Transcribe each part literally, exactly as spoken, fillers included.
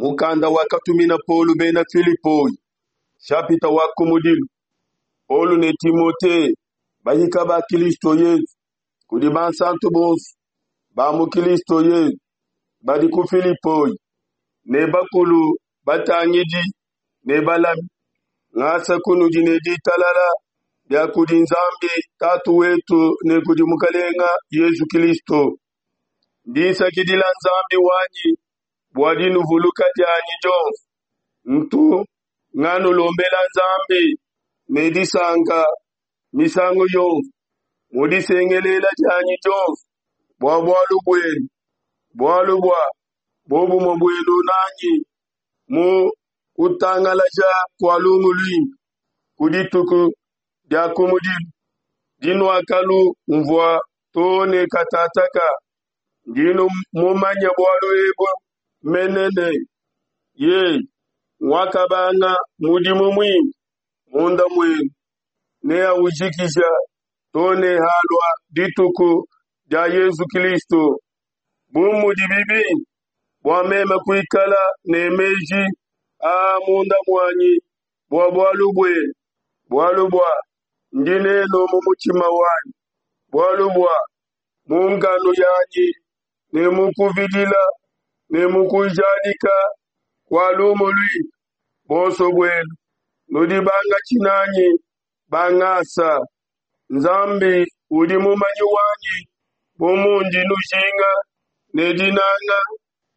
Mukanda wakatumina Paulo bena Filipoi, nshapita wa kumudilu. Paulo ne Timote, bahika ba Kilisto Yesu, kudi bansanto bonso ba mu Kilisto Yesu badi ku Filipoi, ne bakulu batangidi ne balami, ngasa kunudi ne ditalala bia kudi Nzambi Tatu wetu ne kudi Mukelenge Yesu Kilisto. Ndi nsakidila Nzambi wanyi bua dinuvuluka dianyi dionso. Ntu nganulombela Nzambi ne disanka misangu yonso mu disengelela dianyi dionso bua bualu buenu, bualu bua buobumue buenu nanyi mu kutangalaja kua lumu luimpe ku dituku dia kumudilu dinuakalumvua too ne katataka. Ndi mumanye bualu ebu mene ne, yeye nguakabanga mudimu muimpe munda muenu neaujikija too ne halua dituku dia Yesu Kilisto. Bu mudibi bimpe bua meme kuikala ne meji aa munda muanyi bua bualu buenu, bualu bua ndi nenu mu mutshima wanyi, bualu bua mu nkanu yanyi ne mu kuvidila ne mu kujadika kua lumu luimpe, buonso buenu nudi bangatshi nanyi ba ngasa. Nzambi udi mumanyi wanyi bu mundi nujinga ne dinanga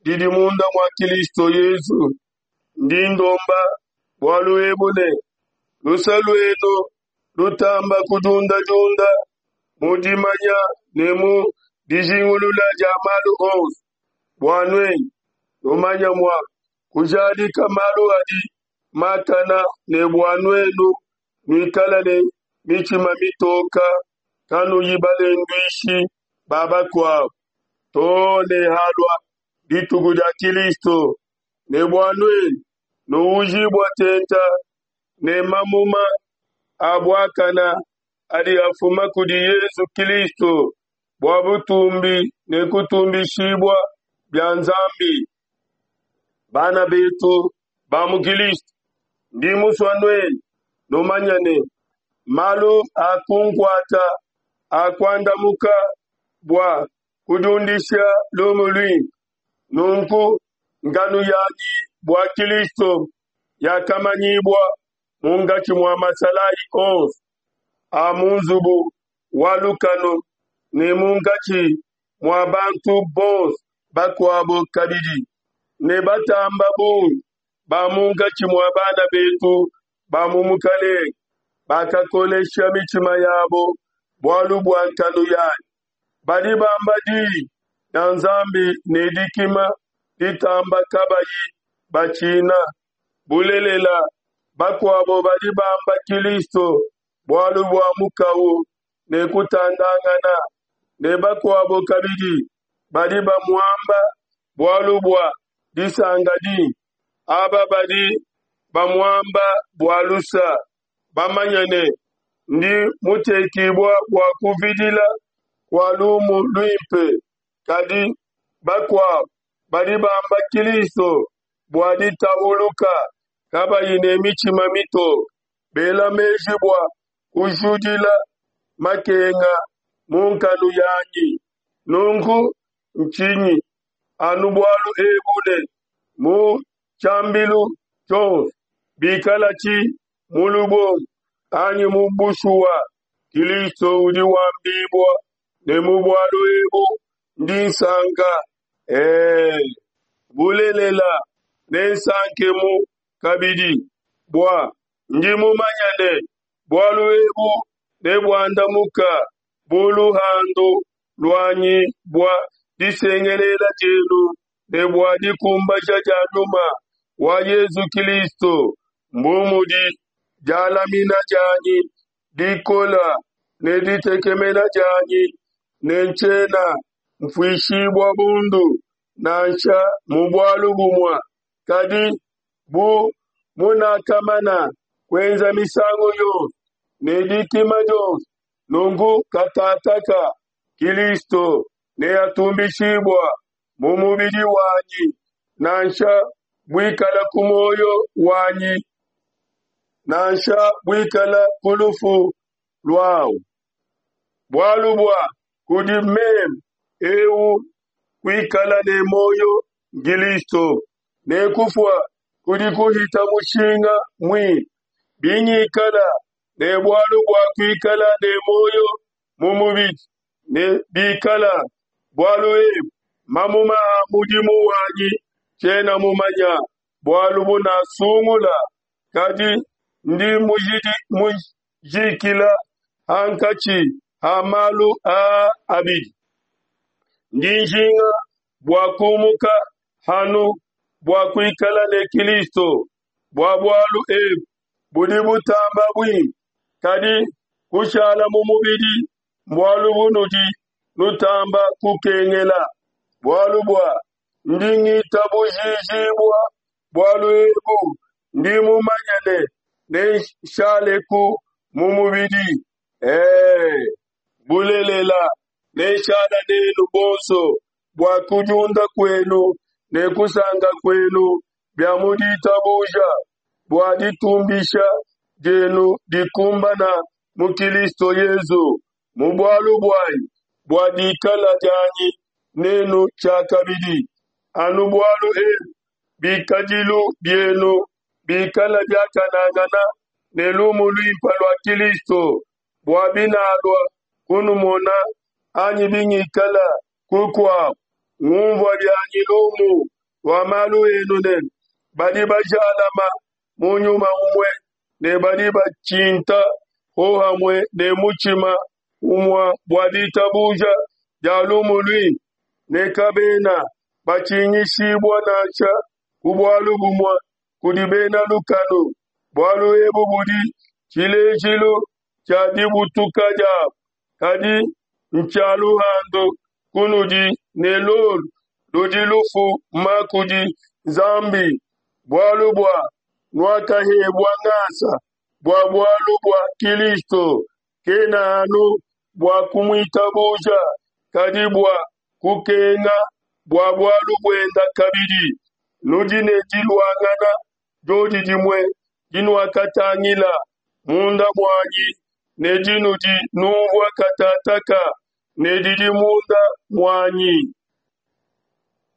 didi munda mua Kilisto Yesu. Ndi ndomba bualu ebu ne luse luenu lutamba kudiundadiunda mu dimanya ne mu dijingulula dia malu onso, bua nuenu numanye mua kujadika malu adi makana, ne bua nuenu nuikale ne mitshima mitoka, kanuyi balenduishi ba bakuabo, too ne halua dituku dia Kilisto, ne bua nuenu nuujibua tente ne mamuma a buakana adi afuma kudi Yesu Kilisto, bua butumbi ne kutumbishibua bia Nzambi. Bana betu ba mu Kilisto, ndi musue nuenu numanye ne, malu akunkuata akuandamuka bua kudiundisha lumu luimpe. Nunku nkanu yanyi bua Kilisto yakamanyibua munkatshi mua masalayi onso a mu nzubu wa lukanu ne munkatshi mua bantu bonso bakuabo kabidi, ne batamba bungi ba munkatshi mua bana betu ba mu Mukelenge bakakolesha mitshima yabo bualu bua nkanu yanyi. Badi bamba diyi dia Nzambi ne dikima ditamba kabayi batshina. Bulelela, bakuabo badi bamba Kilisto bualu bua mukawu ne kutandangana, ne bakuabo kabidi badi bamuamba bualu bua disanka dimpe. Aba badi bamuamba bua lusa, bamanye ne, ndi mutekibua bua kuvidila kua lumu luimpe, kadi bakuabo badi bamba Kilisto bua ditahuluka, kabayi ne mitshima mitoke, bela meji bua kujudila makenga mu nkanu yanyi. Nunku ntshinyi anu bualu ebu ne mu tshiambilu tshionso, bikalatshi mu lubombo anyi mu bushuwa, Kilisto udi wambibua, ne mu bualu ebu ndi nsanka. Ee, bulelela nensankemu kabidi, bua ndi mumanye ne, bualu ebu nebuandamuka bu luhandu luanyi bua disengelela dienu ne bua dikumbaja dia Nyuma wa Yesu Kilisto, mbu mudi dialamina dianyi dikola ne ditekemena dianyi, ne ntshiena mfuishibua bundu nansha mu bualu bumue, kadi bu munakamana kuenza misangu yonso ne dikima dionso, nunku katataka Kilisto neatumbishibua mu mubidi wanyi, nansha buikala ku muoyo wanyi nansha buikala ku lufu luawu. Bualu bua kudi meme eu kuikala ne muoyo Kilisto, ne kufua kudi kuhita mushinga muimpe. Bingikala ne bualu bua kuikala ne muoyo mu mubidi, ne bikala bualu ebu mamuma a mudimu wanyi, tshiena mumanya bualu bunasungula, kadi ndi mujikila hankatshi ha malu aa abidi. Ndi njinga bua kumuka hanu bua kuikala ne Kilisto, bua bualu ebu budi butamba buimpe, kadi kushala mu mubidi mbualu bunudi nutamba kukengela. Bualu bua ndi ngitabujijibua bualu ebu, ndi mumanye ne nenshaleku mu mubidi, ee, bulelela, nenshala nenu bonso bua kudiunda kuenu ne kusanka kuenu bia mu ditabuja, bua ditumbisha dienu dikumbana mu Kilisto Yesu mu bualu buanyi, bua dikala dianyi nenu tshiakabidi. Anu bualu ebu, bikadilu bienu bikala biakanangana ne lumu luimpe lua Kilisto, bua binalua kunumona anyi bingikala kukuabu, ngunvua bianyi lumu lua malu enu ne, badi bajalama mu nyuma umue ne badi batshinta hohamue ne mutshima umue bua ditabuja dia lumu luimpe, ne kabena batshingishibua nansha ku bualu bumue kudi bena lukanu. Bualu ebu budi tshilejilu tshia dibutuka diabo, kadi ntshia luhandu kunudi, ne lolu ludi lufuma kudi Nzambi. Bualu bua nuakahebua ngasa bua bualu bua Kilisto, kena anu bua kumuitabuja, kadi bua kukenga bua bualu buenda kabidi. Nudi ne diluangana diodi dimue dinuakatangila munda muanyi ne dinudi nunvua katataka ne didi munda muanyi.